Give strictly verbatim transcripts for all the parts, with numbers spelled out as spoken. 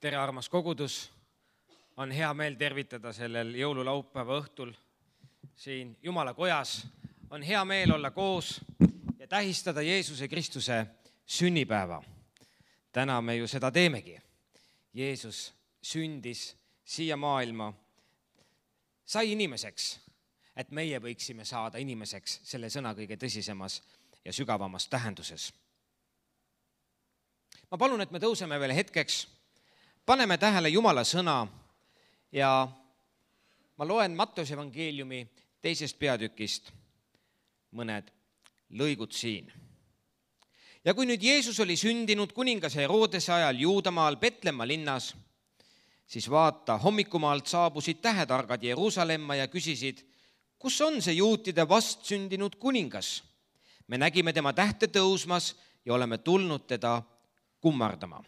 Tere, armas kogudus! On hea meel tervitada sellel jõululaupäeva õhtul siin Jumala kojas. On hea meel olla koos ja tähistada Jeesuse Kristuse sünnipäeva. Täna me ju seda teemegi. Jeesus sündis siia maailma, sai inimeseks, et meie võiksime saada inimeseks selle sõna kõige tõsisemas ja sügavamas tähenduses. Ma palun, et me tõuseme veel hetkeks, paneme tähele Jumala sõna ja ma loen Matteuse evangeeliumi teisest peatükist mõned lõigud siin. Ja kui nüüd Jeesus oli sündinud kuningas Herodese ajal Juudamaal Petlemma linnas, siis vaata, hommikumaalt saabusid tähetargad Jeruusalemma ja küsisid, kus on see juutide vastsündinud kuningas? Me nägime tema tähte tõusmas ja oleme tulnud teda kummardama.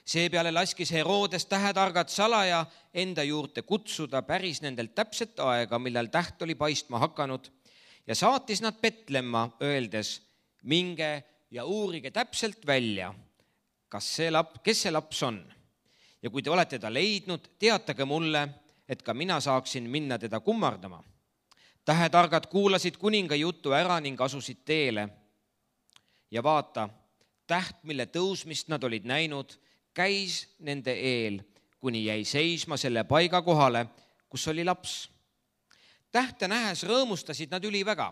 Seepeale laskis Herodes tähetargad salaja enda juurde kutsuda päris nendelt täpset aega, millal täht oli paistma hakanud, ja saatis nad Petlemma, öeldes, minge ja uurige täpselt välja, kas see lap, kes see laps on. Ja kui te olete ta leidnud, teatage mulle, et ka mina saaksin minna teda kummardama. Tähetargad kuulasid kuninga jutu ära ning asusid teele. Ja vaata, täht, mille tõusmist nad olid näinud, käis nende eel, kuni jäi seisma selle paiga kohale, kus oli laps. Tähte nähes rõõmustasid nad üliväga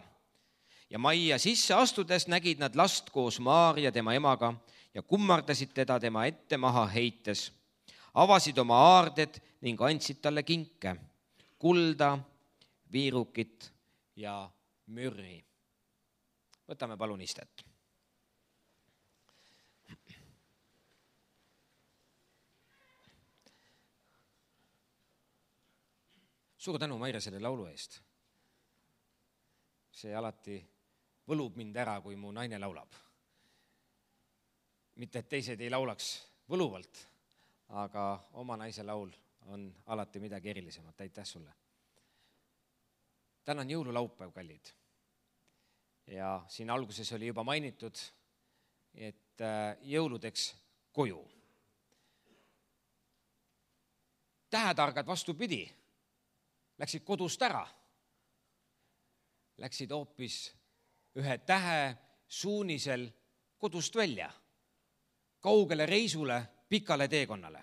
ja majja sisse astudes nägid nad last koos Maaria tema emaga ja kummardasid teda tema ette maha heites. Avasid oma aarded ning andsid talle kinke, kulda, viirukit ja mürri. Võtame palun istet. Suur tänu, Maire, selle laulu eest. See alati võlub mind ära, kui mu naine laulab. Mitte, et teised ei laulaks võluvalt, aga oma naise laul on alati midagi erilisemat. Aitäh sulle. Täna on jõululaupäev, kallid. Ja siin alguses oli juba mainitud, et jõuludeks koju. Tähetargad vastupidi. Läksid kodust ära, läksid hoopis ühe tähe suunisel kodust välja, kaugele reisule, pikale teekonnale.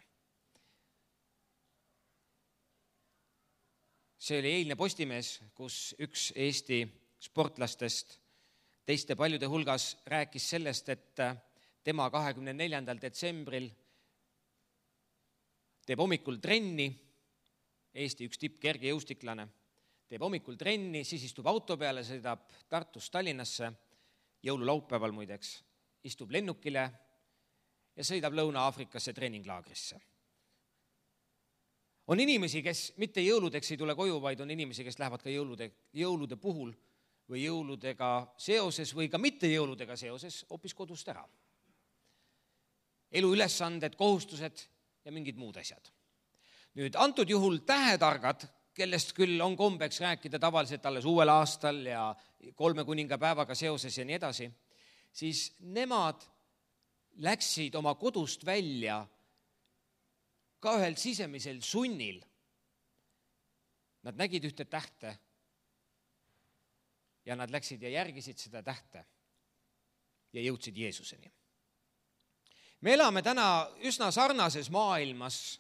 See oli eilne Postimees, kus üks Eesti sportlastest teiste paljude hulgas rääkis sellest, et tema kahekümne neljandal detsembril teeb hommikul trenni, Eesti üks tipp kergejõustiklane, teeb hommikul trenni, siis istub auto peale, sõidab Tartust Tallinnasse, jõululaupäeval muideks, istub lennukile ja sõidab Lõuna-Aafrikasse treeninglaagrisse. On inimesi, kes mitte jõuludeks ei tule koju, vaid on inimesi, kes lähevad ka jõulude, jõulude puhul või jõuludega seoses või ka mitte jõuludega seoses hoopis kodust ära. Elu ülesanded, kohustused ja mingid muud asjad. Nüüd antud juhul tähetargad, kellest küll on kombeks rääkida tavaliselt alles uuel aastal ja kolme kuninga päevaga seoses ja nii edasi, siis nemad läksid oma kodust välja ka ühel sisemisel sunnil. Nad nägid ühte tähte ja nad läksid ja järgisid seda tähte ja jõudsid Jeesuseni. Me elame täna üsna sarnases maailmas,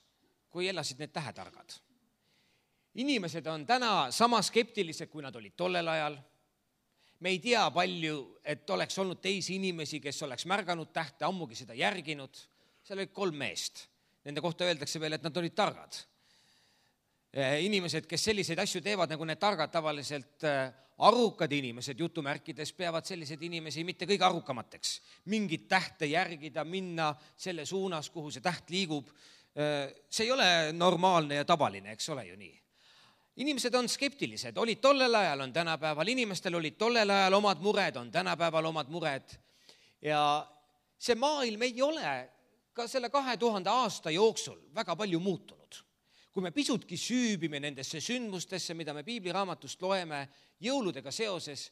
kui elasid need tähetargad. Inimesed on täna sama skeptilised, kui nad olid tollel ajal. Me ei tea palju, et oleks olnud teisi inimesi, kes oleks märganud tähte, ammugi seda järginud. Seal olid kolm meest. Nende kohta öeldakse veel, et nad olid targad. Inimesed, kes selliseid asju teevad, nagu need targad tavaliselt arukad inimesed, jutumärkides, peavad sellised inimesi mitte kõige arukamateks. Mingit tähte järgida, minna selle suunas, kuhu see täht liigub. See ei ole normaalne ja tavaline, eks ole ju nii. Inimesed on skeptilised, olid tollel ajal, on tänapäeval, inimestel olid tollel ajal omad mured, on tänapäeval omad mured. Ja see maailm ei ole ka selle kahe tuhande aasta jooksul väga palju muutunud. Kui me pisutki süübime nendesse sündmustesse, mida me piibliraamatust loeme jõuludega seoses,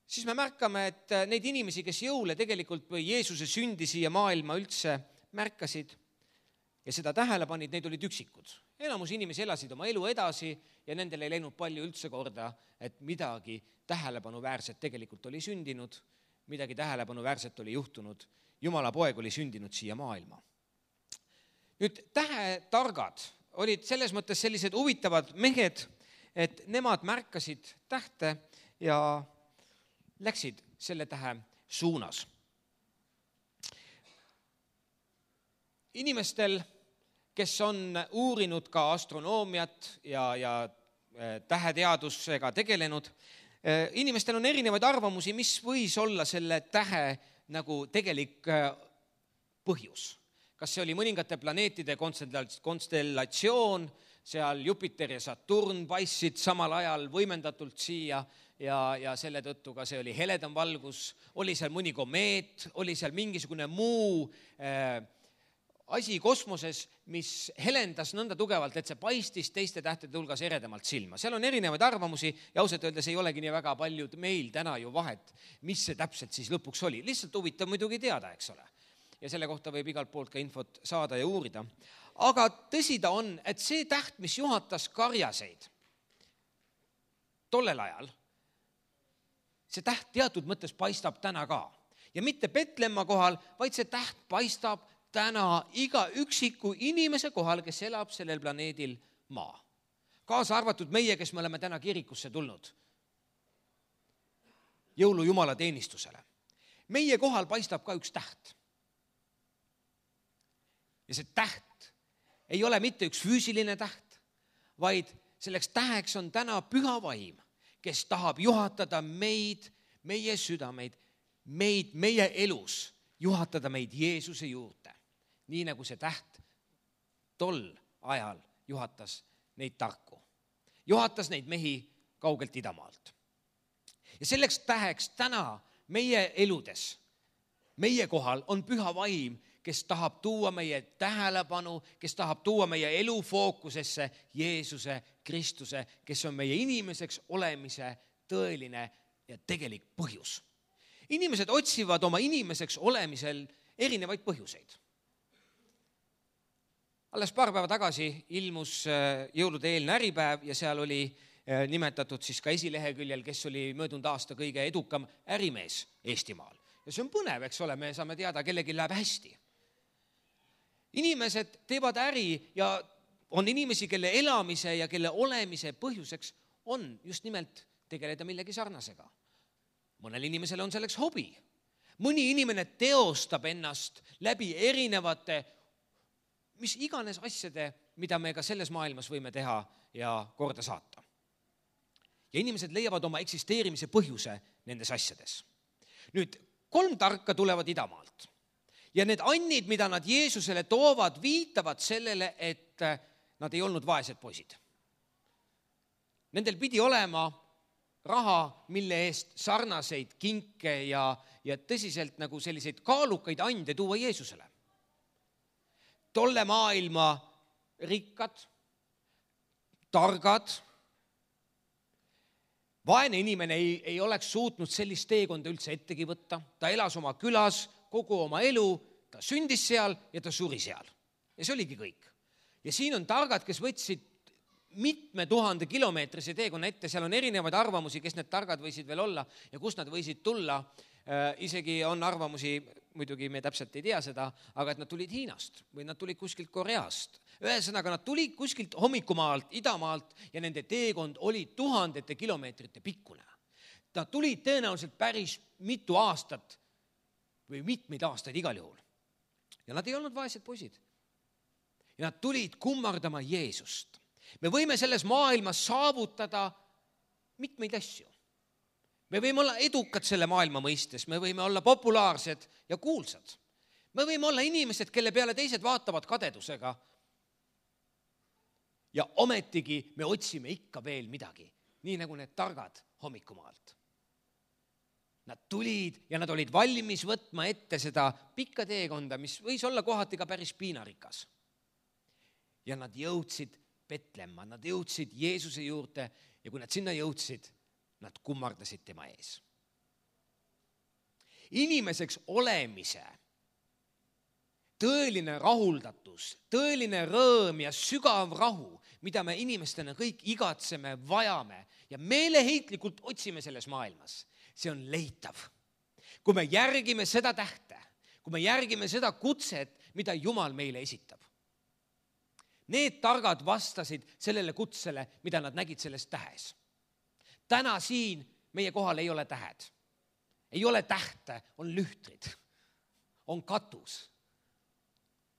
siis me märkame, et neid inimesi, kes jõule tegelikult või Jeesuse sündi siia maailma üldse märkasid, ja seda tähele panid, neid olid üksikud. Enamus inimesi elasid oma elu edasi ja nendel ei läinud palju üldse korda, et midagi tähelepanuväärset tegelikult oli sündinud, midagi tähelepanuväärset oli juhtunud. Jumala poeg oli sündinud siia maailma. Nüüd tähetargad olid selles mõttes sellised huvitavad mehed, et nemad märkasid tähte ja läksid selle tähe suunas. Inimestel, kes on uurinud ka astronoomiat ja, ja täheteadusega tegelenud, inimestel on erinevaid arvamusi, mis võis olla selle tähe nagu tegelik põhjus. Kas see oli mõningate planeetide konstellatsioon, seal Jupiter ja Saturn paistsid samal ajal võimendatult siia ja, ja selle tõttu ka see oli heledam valgus, oli seal mõni komeet, oli seal mingisugune muu äh, asi kosmoses, mis helendas nõnda tugevalt, et see paistis teiste tähtede hulgas eredamalt silma. Seal on erinevaid arvamusi ja ausalt öeldes ei olegi nii väga palju meil täna ju vahet, mis see täpselt siis lõpuks oli. Lihtsalt huvitav muidugi teada, eks ole. Ja selle kohta võib igalt poolt ka infot saada ja uurida. Aga tõsi ta on, et see täht, mis juhatas karjaseid tollel ajal, see täht teatud mõttes paistab täna ka. Ja mitte Petlemma kohal, vaid see täht paistab täna iga üksiku inimese kohal, kes elab sellel planeedil maa. Kaasa arvatud meie, kes me oleme täna kirikusse tulnud jõulu Jumala teenistusele. Meie kohal paistab ka üks täht. Ja see täht ei ole mitte üks füüsiline täht, vaid selleks täheks on täna püha vaim, kes tahab juhatada meid, meie südameid, meid, meie elus, juhatada meid Jeesuse juurde. Nii nagu see täht tol ajal juhatas neid tarku. Juhatas neid mehi kaugelt idamaalt. Ja selleks täheks täna meie eludes, meie kohal on püha vaim, kes tahab tuua meie tähelepanu, kes tahab tuua meie elu fookusesse Jeesuse Kristuse, kes on meie inimeseks olemise tõeline ja tegelik põhjus. Inimesed otsivad oma inimeseks olemisel erinevaid põhjuseid. Alles paar päeva tagasi ilmus jõulude eelne äripäev ja seal oli nimetatud siis ka esileheküljel, kes oli möödunud aasta kõige edukam ärimees Eestimaal. Ja see on põnev, eks ole, me saame teada, kellegi läheb hästi. Inimesed teevad äri ja on inimesi, kelle elamise ja kelle olemise põhjuseks on just nimelt tegeleda millegi sarnasega. Mõnel inimesel on selleks hobi. Mõni inimene teostab ennast läbi erinevate mis iganes asjade, mida me ka selles maailmas võime teha ja korda saata. Ja inimesed leiavad oma eksisteerimise põhjuse nendes asjades. Nüüd, kolm tarka tulevad idamaalt. Ja need annid, mida nad Jeesusele toovad, viitavad sellele, et nad ei olnud vaesed poisid. Nendel pidi olema raha, mille eest sarnaseid kinke ja, ja tõsiselt nagu selliseid kaalukaid ande tuua Jeesusele. Tolle maailma rikkad, targad, vaene inimene ei, ei oleks suutnud sellist teekonda üldse ettegi võtta. Ta elas oma külas kogu oma elu, ta sündis seal ja ta suri seal. Ja see oligi kõik. Ja siin on targad, kes võtsid mitme tuhande kilomeetrise teekonna ette, seal on erinevaid arvamusi, kes need targad võisid veel olla ja kust nad võisid tulla. Äh, isegi on arvamusi, muidugi me täpselt ei tea seda, aga et nad tulid Hiinast või nad tulid kuskilt Koreast. Ühesõnaga, nad tulid kuskilt hommikumaalt, idamaalt ja nende teekond oli tuhandete kilomeetrite pikkune. Nad tulid tõenäoliselt päris mitu aastat või mitmeid aastaid igal juhul. Ja nad ei olnud vaesed poisid. Ja nad tulid kummardama Jeesust. Me võime selles maailmas saavutada mitmeid asju. Me võime olla edukad selle maailma mõistes, me võime olla populaarsed ja kuulsad. Me võime olla inimesed, kelle peale teised vaatavad kadedusega. Ja ometigi me otsime ikka veel midagi, nii nagu need targad hommikumaalt. Nad tulid ja nad olid valmis võtma ette seda pikka teekonda, mis võis olla kohati ka päris piinarikas. Ja nad jõudsid Petlemma, nad jõudsid Jeesuse juurde ja kui nad sinna jõudsid, nad kummardasid tema ees. Inimeseks olemise tõeline rahuldatus, tõeline rõõm ja sügav rahu, mida me inimestena kõik igatseme, vajame ja meeleheitlikult otsime selles maailmas. See on leitav. Kui me järgime seda tähte, kui me järgime seda kutset, mida Jumal meile esitab. Need targad vastasid sellele kutsele, mida nad nägid selles tähes. Täna siin meie kohal ei ole tähed. Ei ole tähte, on lühtrid, on katus,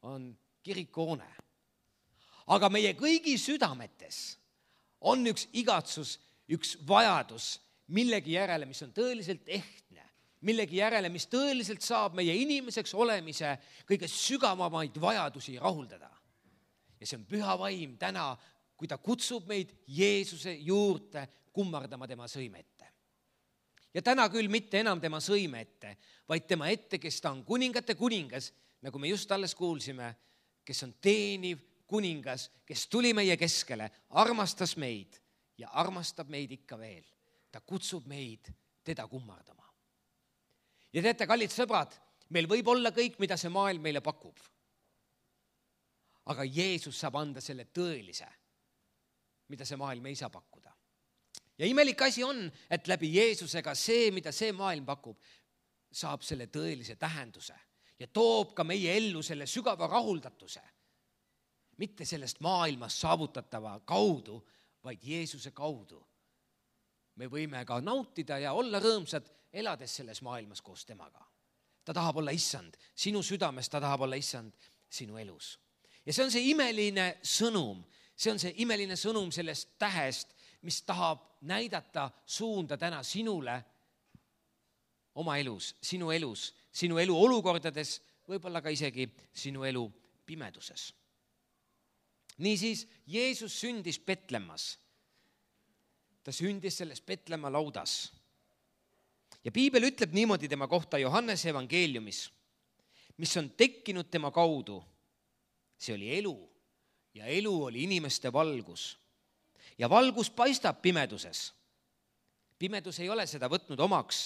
on kirikuhoone. Aga meie kõigi südametes on üks igatsus, üks vajadus millegi järele, mis on tõeliselt ehtne, millegi järele, mis tõeliselt saab meie inimeseks olemise kõige sügavamaid vajadusi rahuldada. Ja see on püha vaim täna, kui ta kutsub meid Jeesuse juurde kummardama tema sõime ette. Ja täna küll mitte enam tema sõime ette, vaid tema ette, kes ta on kuningate kuningas, nagu me just alles kuulsime, kes on teeniv kuningas, kes tuli meie keskele, armastas meid ja armastab meid ikka veel. Ta kutsub meid teda kummardama. Ja teate, kallid sõbrad, meil võib olla kõik, mida see maailm meile pakub. Aga Jeesus saab anda selle tõelise, mida see maailm ei saa pakkuda. Ja imelik asi on, et läbi Jeesusega see, mida see maailm pakub, saab selle tõelise tähenduse ja toob ka meie ellu selle sügava rahuldatuse. Mitte sellest maailmast saavutatava kaudu, vaid Jeesuse kaudu. Me võime ka nautida ja olla rõõmsad, elades selles maailmas koos temaga. Ta tahab olla issand, sinu südames ta tahab olla issand sinu elus. Ja see on see imeline sõnum, see on see imeline sõnum sellest tähest, mis tahab näidata suunda täna sinule oma elus, sinu elus, sinu elu olukordades, võib-olla ka isegi sinu elu pimeduses. Niisiis, Jeesus sündis Petlemmas. Ta sündis selles Petlemma laudas. Ja Piibel ütleb niimoodi tema kohta Johannese evangeeliumis, mis on tekkinud tema kaudu. See oli elu ja elu oli inimeste valgus. Ja valgus paistab pimeduses. Pimedus ei ole seda võtnud omaks,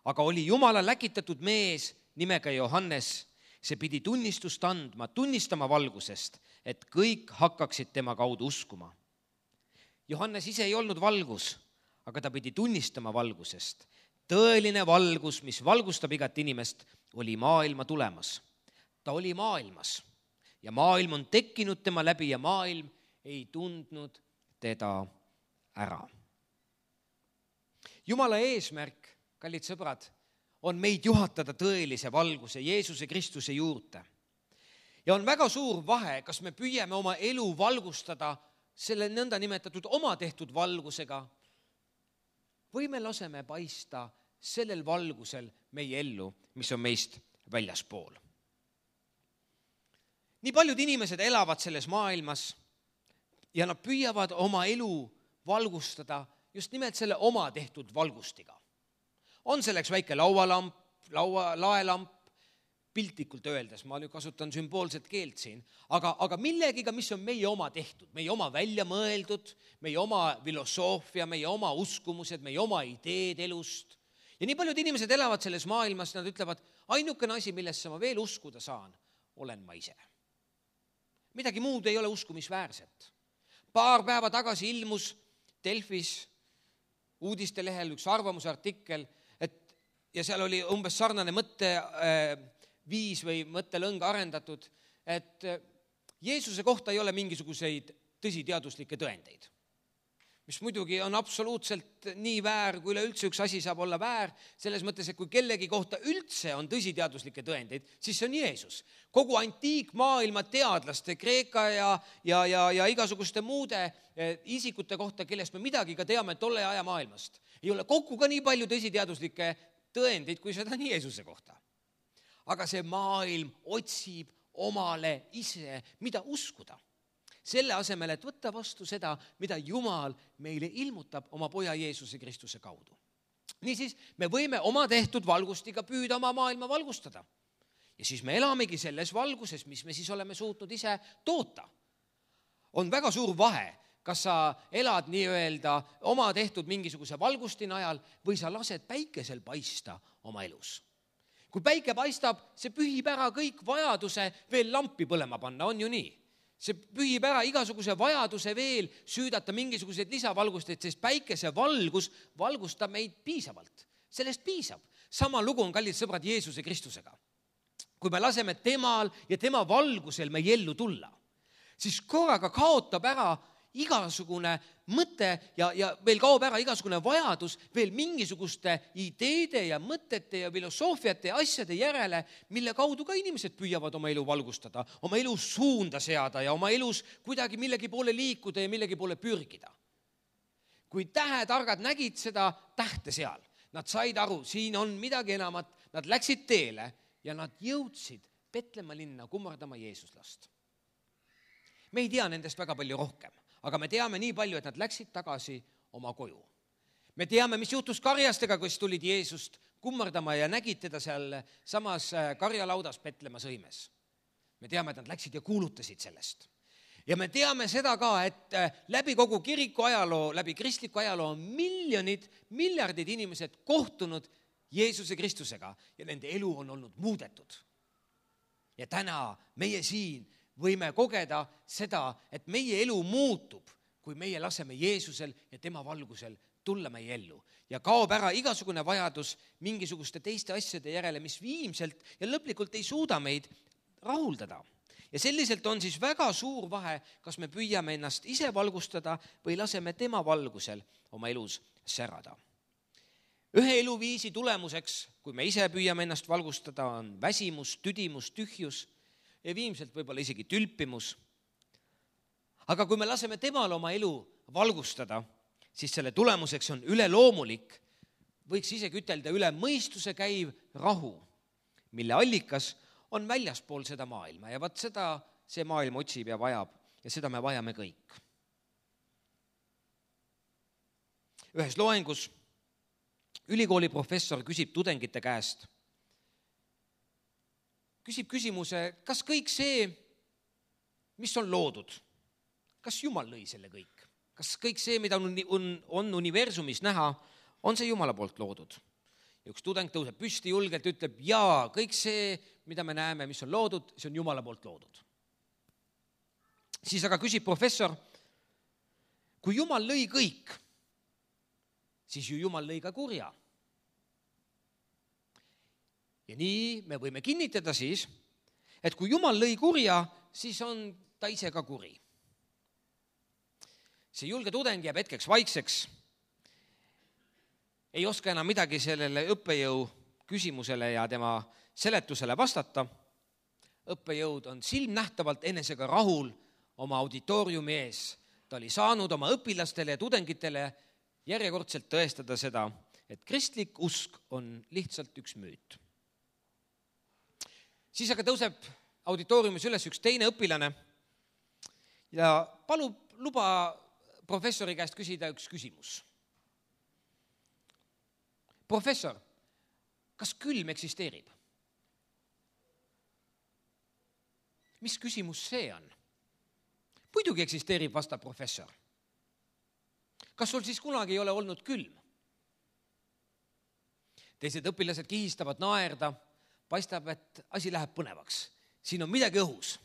aga oli Jumala läkitatud mees nimega Johannes. See pidi tunnistust andma, tunnistama valgusest, et kõik hakkaksid tema kaudu uskuma. Johannes ise ei olnud valgus, aga ta pidi tunnistama valgusest. Tõeline valgus, mis valgustab igat inimest, oli maailma tulemas. Ta oli maailmas ja maailm on tekkinud tema läbi ja maailm ei tundnud teda ära. Jumala eesmärk, kallid sõbrad, on meid juhatada tõelise valguse Jeesuse Kristuse juurde. Ja on väga suur vahe, kas me püüame oma elu valgustada selle nõnda nimetatud oma tehtud valgusega või me laseme paista sellel valgusel meie ellu, mis on meist väljaspool. Nii paljud inimesed elavad selles maailmas ja nad püüavad oma elu valgustada just nimelt selle oma tehtud valgustiga. On selleks väike laualamp, laua, laelamp, piltlikult öeldes, ma nüüd kasutan sümboolset keelt siin, aga, aga millegiga, mis on meie oma tehtud, meie oma välja mõeldud, meie oma filosoofia, meie oma uskumused, meie oma ideed elust. Ja nii paljud inimesed elavad selles maailmas, nad ütlevad, ainukene asi, millesse ma veel uskuda saan, olen ma ise. Midagi muud ei ole uskumisväärset. Paar päeva tagasi ilmus Delfis uudistelehel üks arvamusartikkel, et, ja seal oli umbes sarnane mõtte äh, viis või mõttelõng arendatud, et Jeesuse kohta ei ole mingisuguseid tõsiteaduslikke tõendeid. Mis muidugi on absoluutselt nii väär, kui üleüldse üks asi saab olla väär, selles mõttes, et kui kellegi kohta üldse on tõsiteaduslikke tõendeid, siis see on Jeesus. Kogu antiikmaailma teadlaste, Kreeka ja, ja, ja, ja igasuguste muude isikute kohta, kellest me midagi ka teame tolle aja maailmast, ei ole kokku ka nii palju tõsiteaduslikke tõendeid, kui seda on Jeesuse kohta. Aga see maailm otsib omale ise, mida uskuda. Selle asemel, et võtta vastu seda, mida Jumal meile ilmutab oma poja Jeesuse Kristuse kaudu. Niisiis, me võime oma tehtud valgustiga püüda oma maailma valgustada. Ja siis me elamegi selles valguses, mis me siis oleme suutnud ise toota. On väga suur vahe, kas sa elad nii-öelda oma tehtud mingisuguse valgusti najal või sa lased päikesel paista oma elus. kui päike paistab, see pühib ära kõik vajaduse veel lampi põlema panna, on ju nii? See pühib ära igasuguse vajaduse veel süüdata mingisuguseid lisavalgusteid, sest päikese valgus valgustab meid piisavalt. Sellest piisab. Sama lugu on, kallid sõbrad, Jeesuse Kristusega. Kui me laseme temal ja tema valgusel meie ellu tulla, siis korraga kaotab ära igasugune mõte ja, ja veel kaob ära igasugune vajadus veel mingisuguste ideede ja mõtete ja filosoofiate ja asjade järele, mille kaudu ka inimesed püüavad oma elu valgustada, oma elu suunda seada ja oma elus kuidagi millegi poole liikuda ja millegi poole pürgida. Kui tähetargad nägid seda tähte seal, nad said aru, siin on midagi enamat, nad läksid teele ja nad jõudsid Petlemma linna kummardama Jeesuslast. Me ei tea nendest väga palju rohkem, aga me teame nii palju, et nad läksid tagasi oma koju. Me teame, mis juhtus karjastega, kes tulid Jeesust kummardama ja nägid teda seal samas karjalaudas Petlemma sõimes. Me teame, et nad läksid ja kuulutasid sellest. Ja me teame seda ka, et läbi kogu kiriku ajaloo, läbi kristliku ajaloo on miljonid, miljardid inimesed kohtunud Jeesuse Kristusega ja nende elu on olnud muudetud. Ja täna meie siin võime kogeda seda, et meie elu muutub, kui meie laseme Jeesusel ja tema valgusel tulla meie ellu. Ja kaob ära igasugune vajadus mingisuguste teiste asjade järele, mis viimselt ja lõplikult ei suuda meid rahuldada. Ja selliselt on siis väga suur vahe, kas me püüame ennast ise valgustada või laseme tema valgusel oma elus särada. Ühe eluviisi tulemuseks, kui me ise püüame ennast valgustada, on väsimus, tüdimus, tühjus ja viimselt võib-olla isegi tülpimus. Aga kui me laseme temal oma elu valgustada, siis selle tulemuseks on üleloomulik, võiks isegi ütelda üle mõistuse käiv rahu, mille allikas on väljaspool seda maailma ja vaat seda see maailm otsib ja vajab ja seda me vajame kõik. Ühes loengus ülikooli professor küsib tudengite käest, küsib küsimuse, kas kõik see, mis on loodud, kas Jumal lõi selle kõik? Kas kõik see, mida on, on, on universumis näha, on see Jumala poolt loodud? Ja üks tudeng tõuseb püsti julgelt, ütleb, jaa, kõik see, mida me näeme, mis on loodud, see on Jumala poolt loodud. Siis aga küsib professor, kui Jumal lõi kõik, siis ju Jumal lõi ka kurja. Ja nii me võime kinnitada siis, et kui Jumal lõi kurja, siis on ta ise ka kuri. See julge tudeng jääb hetkeks vaikseks, ei oska enam midagi sellele õppejõu küsimusele ja tema seletusele vastata. Õppejõud on silmnähtavalt enesega rahul oma auditooriumi ees. Ta oli saanud oma õpilastele ja tudengitele järjekordselt tõestada seda, et kristlik usk on lihtsalt üks müüt. Siis aga tõuseb auditooriumis üles üks teine õpilane ja palub luba professori käest küsida üks küsimus. Professor, kas külm eksisteerib? Mis küsimus see on? Muidugi eksisteerib, vastab professor. Kas sul siis kunagi ei ole olnud külm? Teised õpilased kihistavad naerda, paistab, et asi läheb põnevaks. Siin on midagi õhus.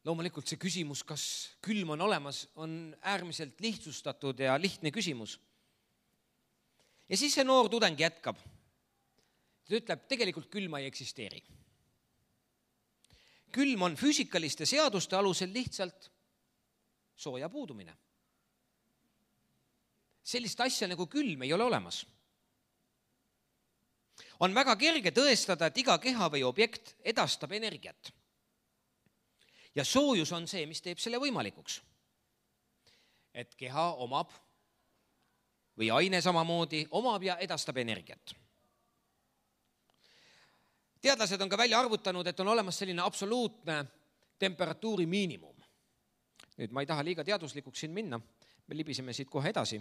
Loomulikult see küsimus, kas külm on olemas, on äärmiselt lihtsustatud ja lihtne küsimus. Ja siis see noor tudeng jätkab. Ta ütleb, tegelikult külma ei eksisteeri. Külm on füüsikaliste seaduste alusel lihtsalt sooja puudumine. Sellist asja nagu külm ei ole olemas. On väga kerge tõestada, et iga keha või objekt edastab energiat. Ja soojus on see, mis teeb selle võimalikuks. Et keha omab või aine samamoodi omab ja edastab energiat. Teadlased on ka välja arvutanud, et on olemas selline absoluutne temperatuuri miinimum. Nüüd ma ei taha liiga teaduslikuks siin minna, me libiseme siit kohe edasi.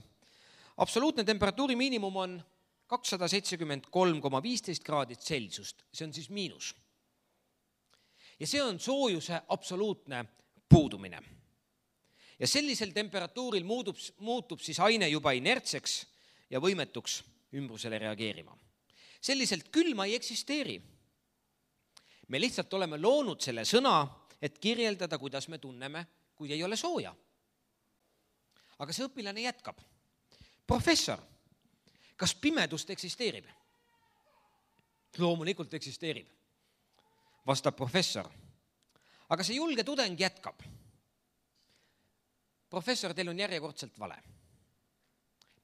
Absoluutne temperatuuri miinimum on kakssada seitsekümmend kolm koma viisteist kraadit Celsiust, see on siis miinus. Ja see on soojuse absoluutne puudumine. Ja sellisel temperatuuril muutub, muutub siis aine juba inertseks ja võimetuks ümbrusele reageerima. selliselt külma ei eksisteeri. Me lihtsalt oleme loonud selle sõna, et kirjeldada, kuidas me tunneme, kui ei ole sooja. Aga see õpilane jätkab. Professor, kas pimedust eksisteerib? Loomulikult eksisteerib, vastab professor. Aga see julge tudeng jätkab. Professor, teil on järjekordselt vale.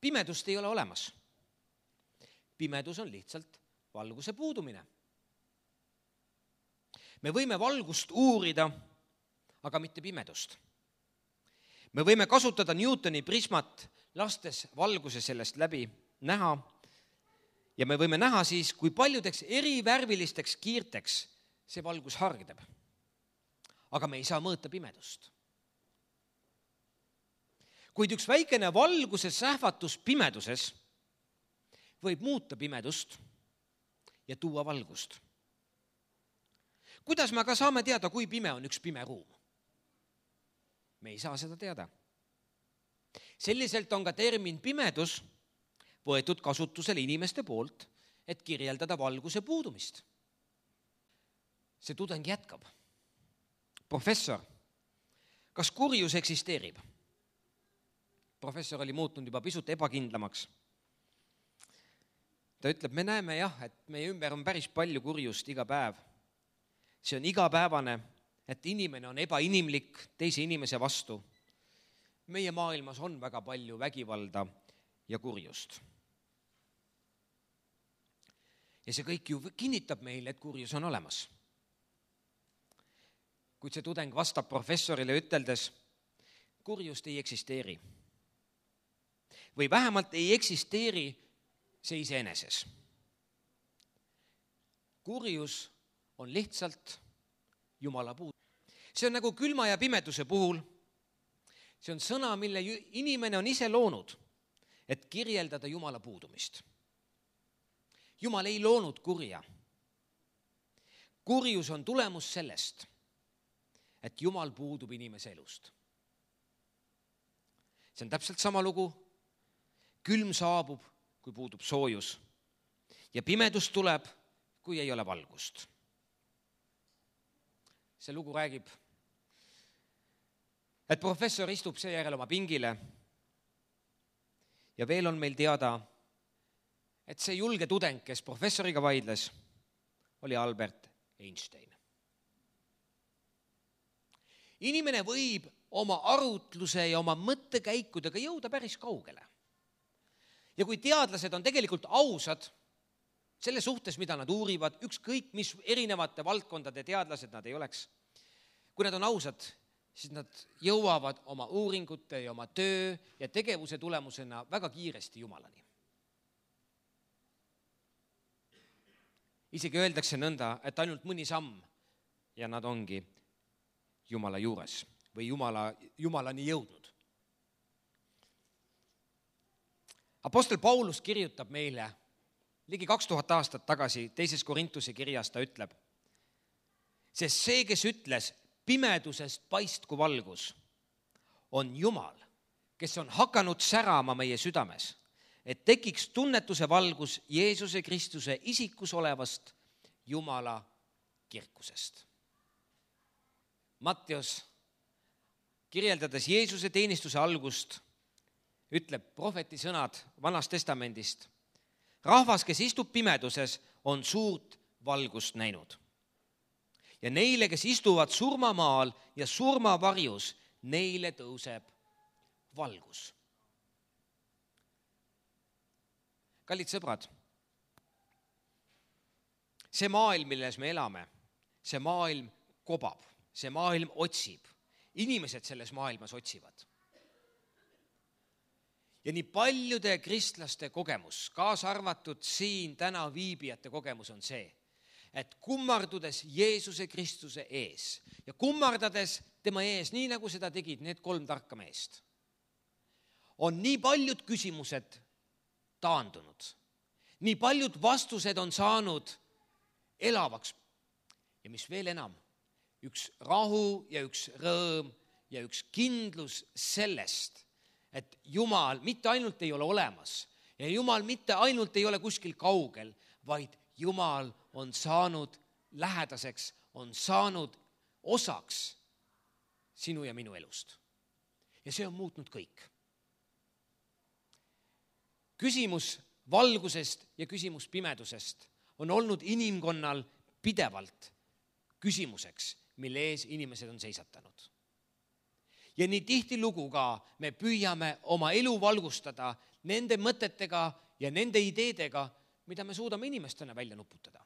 Pimedust ei ole olemas. Pimedus on lihtsalt valguse puudumine. Me võime valgust uurida, aga mitte pimedust. Me võime kasutada Newtoni prismat, lastes valguse sellest läbi näha, ja me võime näha siis, kui paljudeks erivärvilisteks kiirteks see valgus hargneb. Aga me ei saa mõõta pimedust. Kuid üks väikene valguse sähvatus pimeduses võib muuta pimedust ja tuua valgust. Kuidas me aga saame teada, kui pime on üks pime ruum? Me ei saa seda teada. Selliselt on ka termin pimedus võetud kasutusele inimeste poolt, et kirjeldada valguse puudumist. See tudeng jätkab. Professor, kas kurjus eksisteerib? Professor oli muutunud juba pisut ebakindlamaks. Ta ütleb, me näeme jah, et meie ümber on päris palju kurjust iga päev. See on igapäevane, et inimene on ebainimlik teise inimese vastu. Meie maailmas on väga palju vägivalda ja kurjust. Ja see kõik ju kinnitab meile, et kurjus on olemas. Kuid see tudeng vastab professorile üteldes, kurjust ei eksisteeri. Või vähemalt ei eksisteeri see iseeneses. Kurjus on lihtsalt Jumala puudus. See on nagu külma ja pimeduse puhul. See on sõna, mille inimene on ise loonud, et kirjeldada Jumala puudumist. Jumal ei loonud kurja. Kurjus on tulemus sellest, et Jumal puudub inimese elust. See on täpselt sama lugu. Külm saabub, kui puudub soojus. Ja pimedus tuleb, kui ei ole valgust. See lugu räägib, et professor istub seejärel oma pingile ja veel on meil teada, et see julge tudeng, kes professoriga vaidles, oli Albert Einstein. Inimene võib oma arutluse ja oma mõttekäikudega jõuda päris kaugele. Ja kui teadlased on tegelikult ausad selle suhtes, mida nad uurivad, ükskõik mis erinevate valdkondade teadlased nad ei oleks, kui nad on ausad, siis nad jõuavad oma uuringute ja oma töö ja tegevuse tulemusena väga kiiresti Jumalani. Isegi öeldakse nõnda, et ainult mõni samm ja nad ongi Jumala juures või Jumala, Jumalani jõudnud. Apostel Paulus kirjutab meile ligi kaks tuhat aastat tagasi teises Korintuse kirjas, ta ütleb, sest see, kes ütles, pimedusest paistku valgus, on Jumal, kes on hakanud särama meie südames, et tekiks tunnetuse valgus Jeesuse Kristuse isikus olevast Jumala kirkusest. Matteus, kirjeldades Jeesuse teenistuse algust, ütleb prohveti sõnad Vanast Testamendist. Rahvas, kes istub pimeduses, on suurt valgust näinud. Ja neile, kes istuvad surmamaal ja surmavarjus, neile tõuseb valgus. Kallid sõbrad, see maailm, milles me elame, see maailm kobab, see maailm otsib. Inimesed selles maailmas otsivad. Ja nii paljude kristlaste kogemus, kaasa arvatud siin täna viibijate kogemus on see, et kummardudes Jeesuse Kristuse ees ja kummardades tema ees, nii nagu seda tegid need kolm tarka meest, on nii paljud küsimused taandunud. Nii paljud vastused on saanud elavaks. Ja mis veel enam, üks rahu ja üks rõõm ja üks kindlus sellest, et Jumal mitte ainult ei ole olemas ja Jumal mitte ainult ei ole kuskil kaugel, vaid Jumal on saanud lähedaseks, on saanud osaks sinu ja minu elust. Ja see on muutnud kõik. Küsimus valgusest ja küsimus pimedusest on olnud inimkonnal pidevalt küsimuseks, mille ees inimesed on seisatanud. Ja nii tihtilugu ka me püüame oma elu valgustada nende mõtetega ja nende ideedega, mida me suudame inimestena välja nuputada.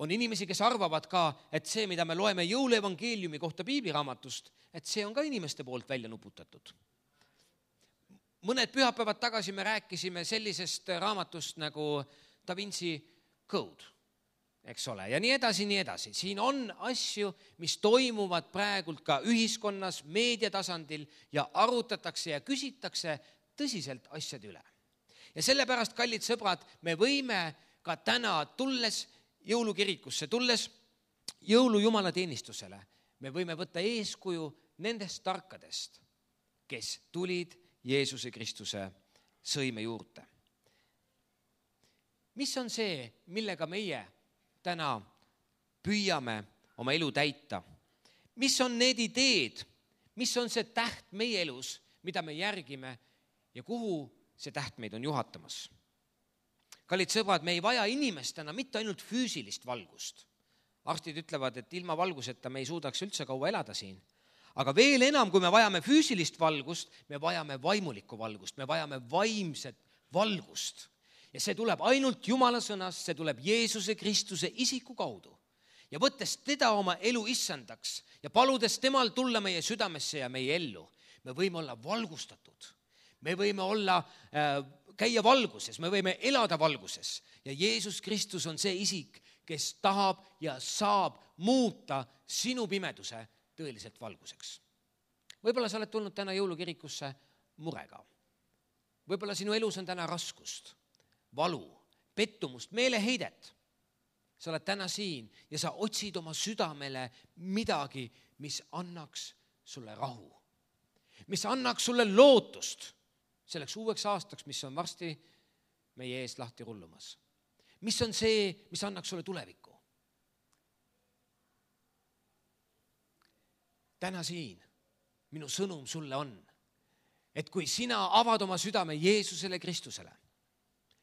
On inimesi, kes arvavad ka, et see, mida me loeme jõuluevangeeliumi kohta piibliraamatust, et see on ka inimeste poolt välja nuputatud. Mõned pühapäevad tagasi me rääkisime sellisest raamatust nagu Da Vinci Code, eks ole, ja nii edasi, nii edasi. Siin on asju, mis toimuvad praegult ka ühiskonnas, meediatasandil ja arutatakse ja küsitakse tõsiselt asjade üle. Ja sellepärast, kallid sõbrad, me võime ka täna tulles jõulukirikusse, tulles jõulujumalateenistusele, me võime võtta eeskuju nendest tarkadest, kes tulid Jeesuse Kristuse sõime juurde. Mis on see, millega meie täna püüame oma elu täita? Mis on need ideed, mis on see täht meie elus, mida me järgime ja kuhu see täht meid on juhatamas? Kallid sõbrad, me ei vaja inimestena mitte ainult füüsilist valgust. Arstid ütlevad, et ilma valguseta me ei suudaks üldse kaua elada siin. Aga veel enam, kui me vajame füüsilist valgust, me vajame vaimulikku valgust, me vajame vaimset valgust. Ja see tuleb ainult Jumala sõnast, see tuleb Jeesuse Kristuse isiku kaudu. Ja võttes teda oma elu issandaks ja paludes temal tulla meie südamesse ja meie ellu, me võime olla valgustatud. Me võime olla, äh, käia valguses, me võime elada valguses. Ja Jeesus Kristus on see isik, kes tahab ja saab muuta sinu pimeduse tõeliselt valguseks. Võib-olla sa oled tulnud täna jõulukirikusse murega. Võib-olla sinu elus on täna raskust, valu, pettumust, meeleheidet. Sa oled täna siin ja sa otsid oma südamele midagi, mis annaks sulle rahu. Mis annaks sulle lootust selleks uueks aastaks, mis on varsti meie eest lahti rullumas. Mis on see, mis annaks sulle tulevikku? Täna siin minu sõnum sulle on, et kui sina avad oma südame Jeesusele Kristusele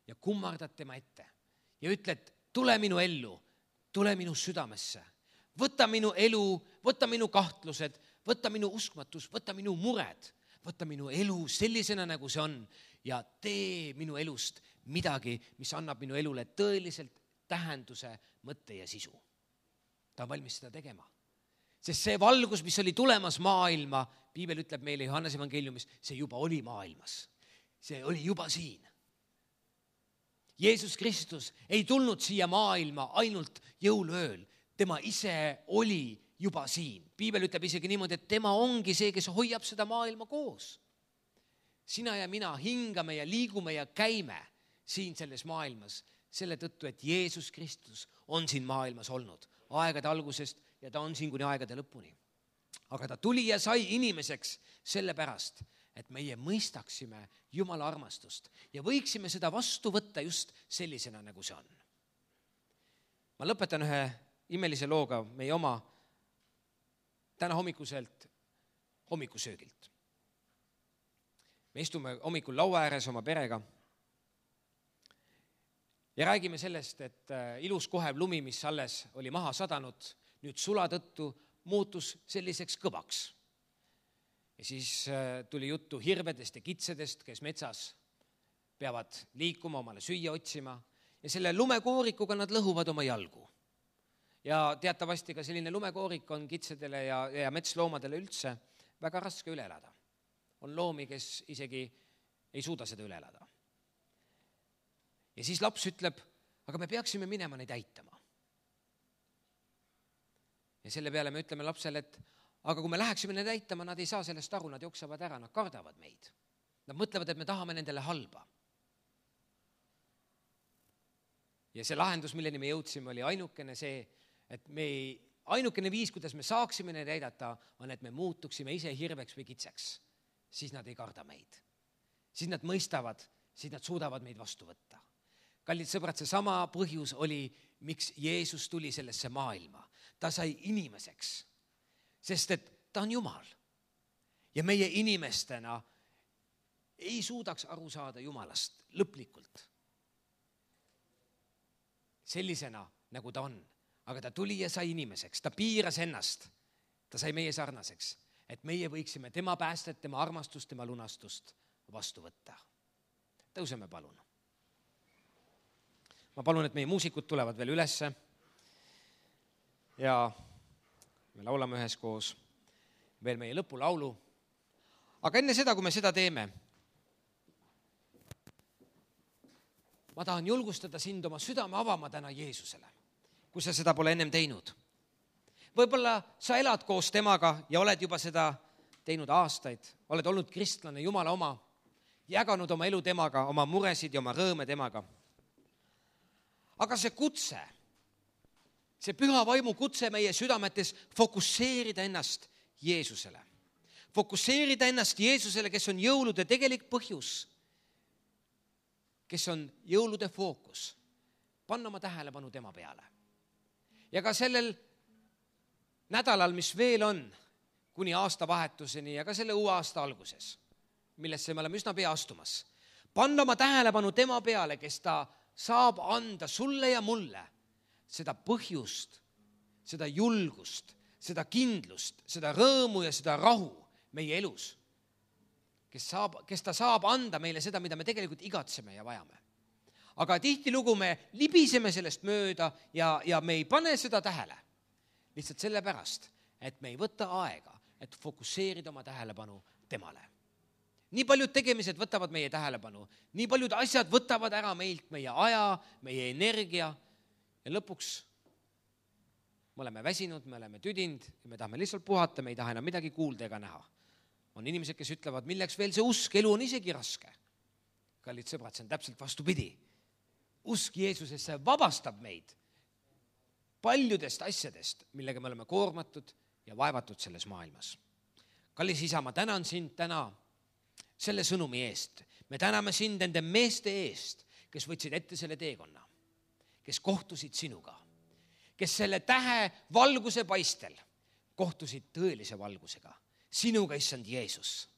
ja kummardad tema ette ja ütled, tule minu ellu, tule minu südamesse, võta minu elu, võta minu kahtlused, võta minu uskmatus, võta minu mured, võta minu elu sellisena, nagu see on ja tee minu elust midagi, mis annab minu elule tõeliselt tähenduse, mõtte ja sisu. Ta on valmis seda tegema. Sest see valgus, mis oli tulemas maailma, Piibel ütleb meile Johannese evangeeliumis, see juba oli maailmas. See oli juba siin. Jeesus Kristus ei tulnud siia maailma ainult jõuluööl. Tema ise oli juba siin. Piibel ütleb isegi niimoodi, et tema ongi see, kes hoiab seda maailma koos. Sina ja mina hingame ja liigume ja käime siin selles maailmas selle tõttu, et Jeesus Kristus on siin maailmas olnud aegade algusest ja ta on siin kuni aegade lõpuni. Aga ta tuli ja sai inimeseks sellepärast, et meie mõistaksime Jumala armastust ja võiksime seda vastu võtta just sellisena, nagu see on. Ma lõpetan ühe imelise looga meie oma täna hommikuselt hommikusöögilt. Me istume hommikul laua ääres oma perega ja räägime sellest, et ilus kohev lumi, mis alles oli maha sadanud, nüüd sula tõttu muutus selliseks kõvaks. Ja siis tuli juttu hirvedest ja kitsedest, kes metsas peavad liikuma, omale süüa otsima ja selle lumekoorikuga nad lõhuvad oma jalgu. Ja teatavasti ka selline lumekoorik on kitsedele ja, ja metsloomadele üldse väga raske üle elada. On loomi, kes isegi ei suuda seda üle elada. Ja siis laps ütleb, aga me peaksime minema neid aitama. Ja selle peale me ütleme lapsele, et aga kui me läheksime neid aitama, nad ei saa sellest aru, nad jooksevad ära, nad kardavad meid. Nad mõtlevad, et me tahame nendele halba. Ja see lahendus, milleni me jõudsime, oli ainukene see, et me ei, ainukene viis, kuidas me saaksime neid aidata, on, et me muutuksime ise hirveks või kitseks. Siis nad ei karda meid. Siis nad mõistavad, siis nad suudavad meid vastu võtta. kallid sõbrad, see sama põhjus oli, miks Jeesus tuli sellesse maailma. Ta sai inimeseks, sest et ta on Jumal. Ja meie inimestena ei suudaks aru saada Jumalast lõplikult. Sellisena, nagu ta on. Aga ta tuli ja sai inimeseks. Ta piiras ennast. Ta sai meie sarnaseks, et meie võiksime tema päästet, tema armastust, tema lunastust vastu võtta. Tõuseme palun. Ma palun, et meie muusikud tulevad veel ülesse ja me laulame üheskoos veel meie lõpulaulu. Aga enne seda, kui me seda teeme, ma tahan julgustada sind oma südame avama täna Jeesusele, kui sa seda pole ennem teinud. Võib-olla sa elad koos temaga ja oled juba seda teinud aastaid, oled olnud kristlane, Jumala oma, jaganud oma elu temaga, oma muresid ja oma rõõme temaga. Aga see kutse, see püha vaimu kutse meie südametes fokusseerida ennast Jeesusele. Fokusseerida ennast Jeesusele, kes on jõulude tegelik põhjus, kes on jõulude fookus, panna oma tähelepanu tema peale. Ja ka sellel nädalal, mis veel on, kuni aastavahetuseni ja ka selle uue aasta alguses, millesse me oleme üsna pea astumas, panna oma tähelepanu tema peale, kes ta saab anda sulle ja mulle seda põhjust, seda julgust, seda kindlust, seda rõõmu ja seda rahu meie elus, kes, saab, kes ta saab anda meile seda, mida me tegelikult igatseme ja vajame. Aga tihtilugu me libiseme sellest mööda ja, ja me ei pane seda tähele. Lihtsalt sellepärast, et me ei võta aega, et fokusseerida oma tähelepanu temale. Nii paljud tegemised võtavad meie tähelepanu, nii paljud asjad võtavad ära meilt meie aja, meie energia ja lõpuks me oleme väsinud, me oleme tüdinud ja me tahame lihtsalt puhata, me ei taha enam midagi kuulda ega näha. On inimesed, kes ütlevad, milleks veel see usk, elu on isegi raske. Kallid sõbrad, see on täpselt vastupidi. Usk Jeesusesse vabastab meid paljudest asjadest, millega me oleme koormatud ja vaevatud selles maailmas. Kallis isa, ma tänan sind täna selle sõnumi eest. Me täname sind nende meeste eest, kes võtsid ette selle teekonna, kes kohtusid sinuga, kes selle tähe valguse paistel kohtusid tõelise valgusega. Sinuga, issand Jeesus.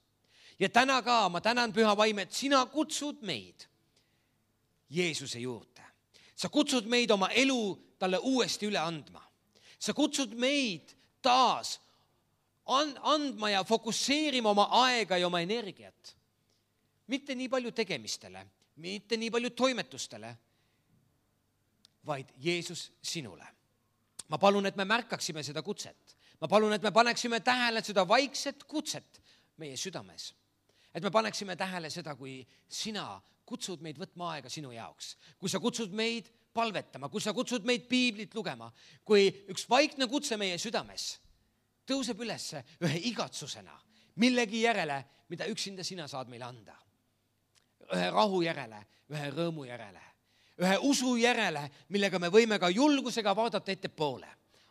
Ja täna ka ma tänan püha vaim, et sina kutsud meid Jeesuse juurde. Sa kutsud meid oma elu talle uuesti üle andma. Sa kutsud meid taas andma ja fokusseerima oma aega ja oma energiat. Mitte nii palju tegemistele, mitte nii palju toimetustele, vaid Jeesus sinule. Ma palun, et me märkaksime seda kutset. Ma palun, et me paneksime tähele seda vaikset kutset meie südames. Et me paneksime tähele seda, kui sina kutsud meid võtma aega sinu jaoks. Kui sa kutsud meid palvetama, kui sa kutsud meid piiblit lugema, kui üks vaikne kutse meie südames tõuseb üles ühe igatsusena, millegi järele, mida üksinda sina saad meile anda. Ühe rahu järele, ühe rõõmu järele, ühe usu järele, millega me võime ka julgusega vaadata ette poole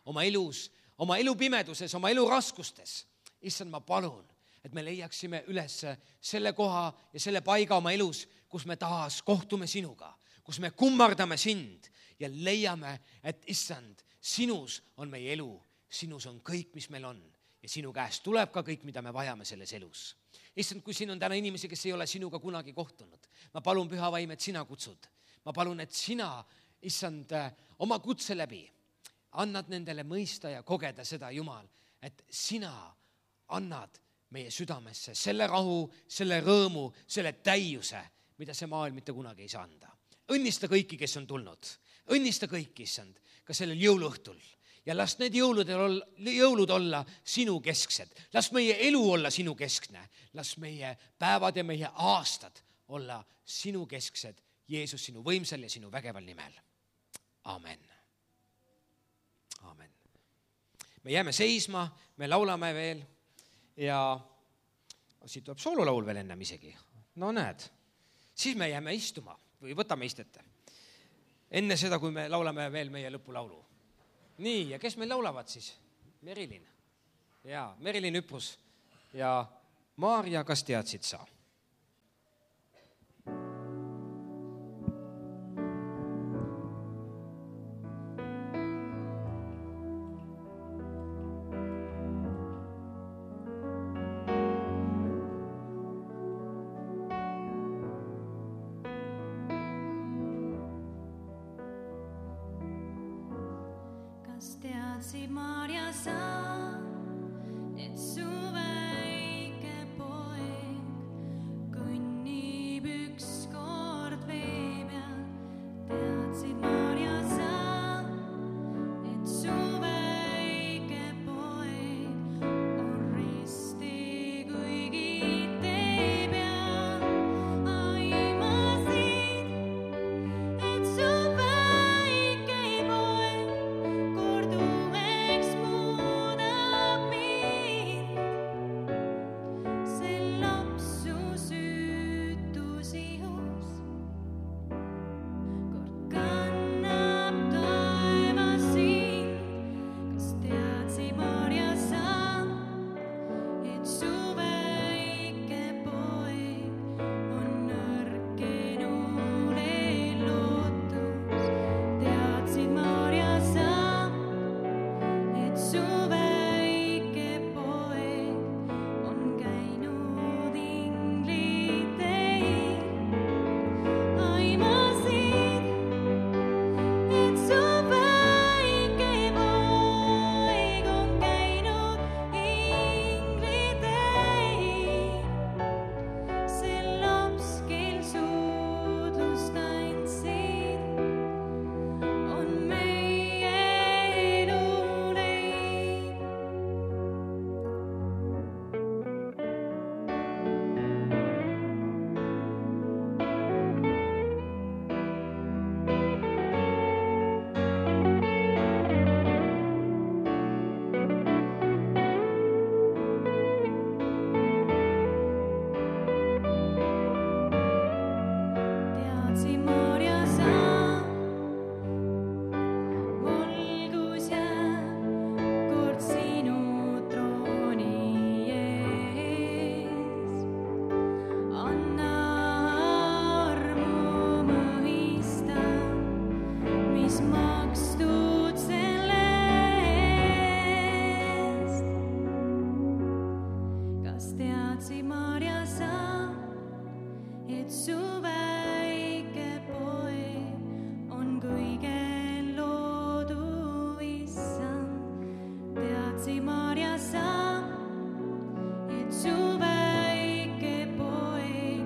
oma elus, oma elu pimeduses, oma elu raskustes. Issand, ma palun, et me leiaksime üles selle koha ja selle paiga oma elus, kus me taas kohtume sinuga, kus me kummardame sind ja leiame, et issand, sinus on meie elu, sinus on kõik, mis meil on ja sinu käest tuleb ka kõik, mida me vajame selles elus. Issand, kui siin on täna inimesi, kes ei ole sinuga kunagi kohtunud, ma palun püha vaim, et sina kutsud. Ma palun, et sina, issand, oma kutse läbi annad nendele mõista ja kogeda seda, Jumal, et sina annad meie südamesse selle rahu, selle rõõmu, selle täiuse, mida see maailm mitte kunagi ei saa anda. Õnnista kõiki, kes on tulnud. Õnnista kõiki, issand, ka sellel jõuluõhtul. Ja las need jõulud, jõulud olla sinu kesksed. Las meie elu olla sinu keskne. Las meie päevad ja meie aastad olla sinu kesksed. Jeesus, sinu võimsal ja sinu vägeval nimel. Amen. Amen. Me jääme seisma, me laulame veel ja siit tuleb soololaul veel ennem isegi. No näed, siis me jääme istuma või võtame istete. Enne seda, kui me laulame veel meie lõpulaulu. Nii, ja kes meil laulavad siis? Merilin. Jaa, Merilin Üprus ja Maarja, kas teadsid sa? Kas teadsid, Maarja, sa, et su väike poeg kõnnib ükskord vee peal? Teadsid, Maarja, sa, et su väike poeg on risti kuigi tee peal? Aimasid, et su väike poeg kord uueks muudab mind. See laps su süütus ihus kord kannab taevas sind. Kas teadsid, Maarja, sa, et su väike poeg on nõrkenule lootus? Teadsid, Maarja, sa, et su väike poeg on käinud ingliteil? Aimasid, et su väike poeg on käinud ingliteil. See laps, kel suudlust andsid, on meie eluleib. Teadsid, Maarja, sa, valgus jääb kord sinu trooni ees. Anna armu mõista, mis makstud selle eest. Kas teadsid, Maarja, sa, et su väike poeg on kõige loodu issand? Teadsid, Maarja, sa, et su väike poeg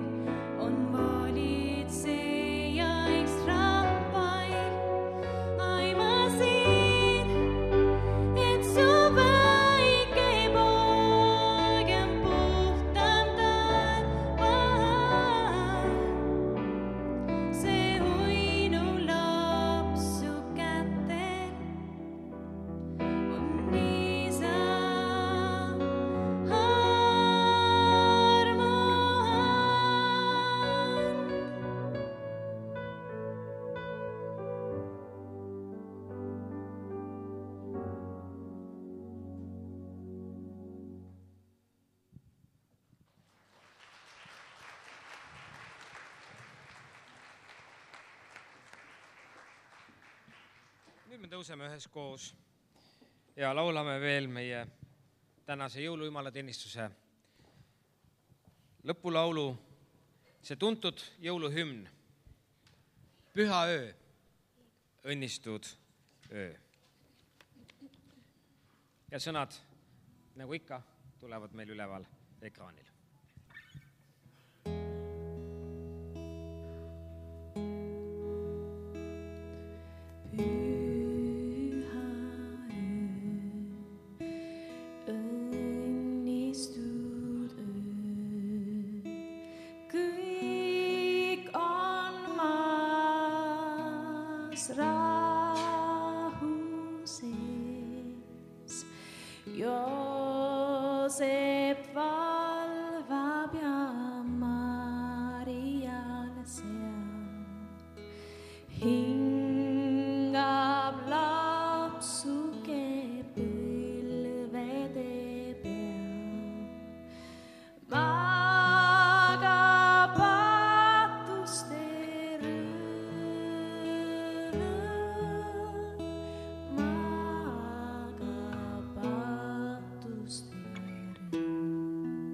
on valitsejaiks rahvail? Aimasid, et su väike poeg on puhtam taevas. See uinu laps su kätel on isa armu and. Nüüd me tõuseme üheskoos ja laulame veel meie tänase jõulujumalateenistuse lõpulaulu, see tuntud jõuluhümn, Püha öö, õnnistud öö. Ja sõnad, nagu ikka, tulevad meil üleval ekraanil. Püha öö, õnnistud öö, kõik on maas rahu sees. Joosep valvab ja Marial seal hingab lapsuke põlvede peal. Magab patuste rõõm, magab patuste rõõm.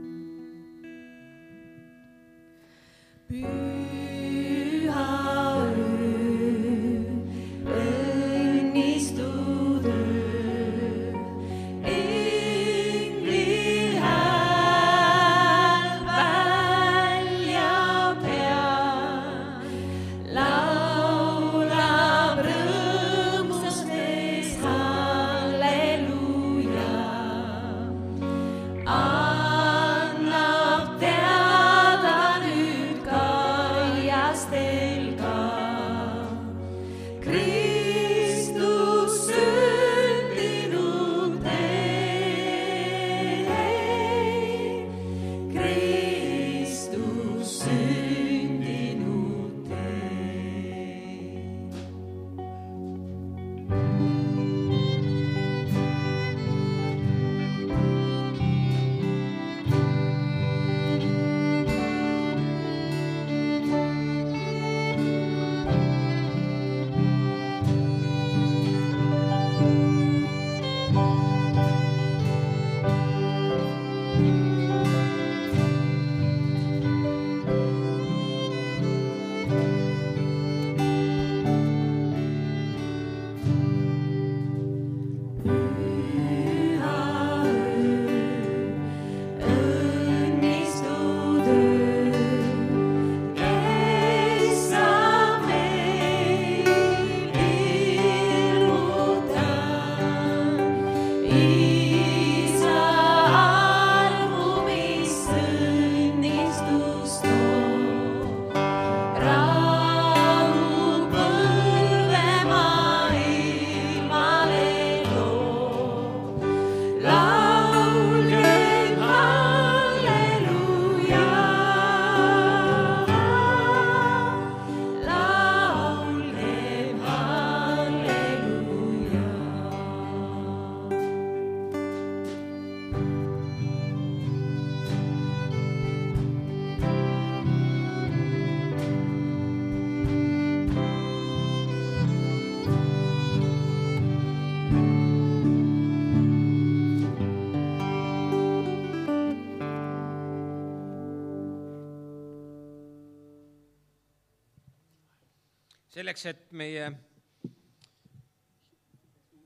selleks, et meie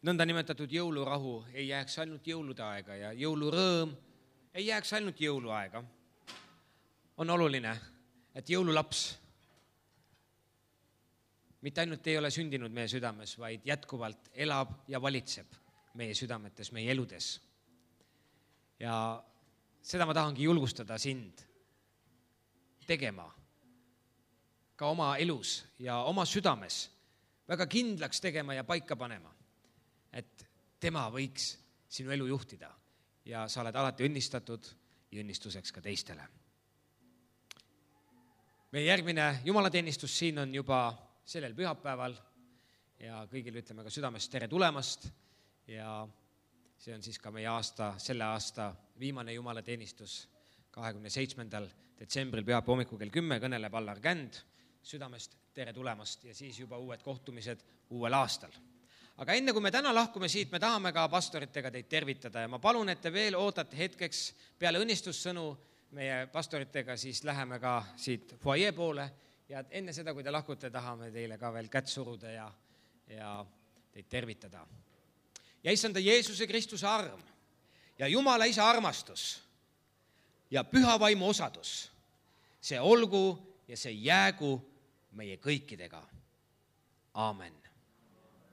nõndanimetatud jõulurahu ei jääks ainult jõulude aega ja jõulurõõm ei jääks ainult jõuluaega, on oluline, et jõululaps mitte ainult ei ole sündinud meie südames, vaid jätkuvalt elab ja valitseb meie südametes, meie eludes. Ja seda ma tahangi julgustada sind tegema ka oma elus ja oma südames, väga kindlaks tegema ja paika panema, et tema võiks sinu elu juhtida ja sa oled alati õnnistatud ja õnnistuseks ka teistele. Meie järgmine jumalateenistus siin on juba sellel pühapäeval ja kõigile ütleme ka südamest tere tulemast ja see on siis ka meie aasta, selle aasta viimane jumalateenistus kahekümne seitsmendal detsembril pühapäeva hommikul kell kümme kõneleb Allar Känd. Südamest tere tulemast ja siis juba uued kohtumised uuel aastal. Aga enne kui me täna lahkume siit, me tahame ka pastoritega teid tervitada ja ma palun, et te veel ootate hetkeks peale õnnistussõnu meie pastoritega, siis läheme ka siit foajee poole ja enne seda, kui te lahkute, tahame teile ka veel kätt suruda ja, ja teid tervitada. Ja issanda Jeesuse Kristuse arm ja Jumala Isa armastus ja püha vaimu osadus, see olgu ja see jäägu meie kõikidega. Aamen.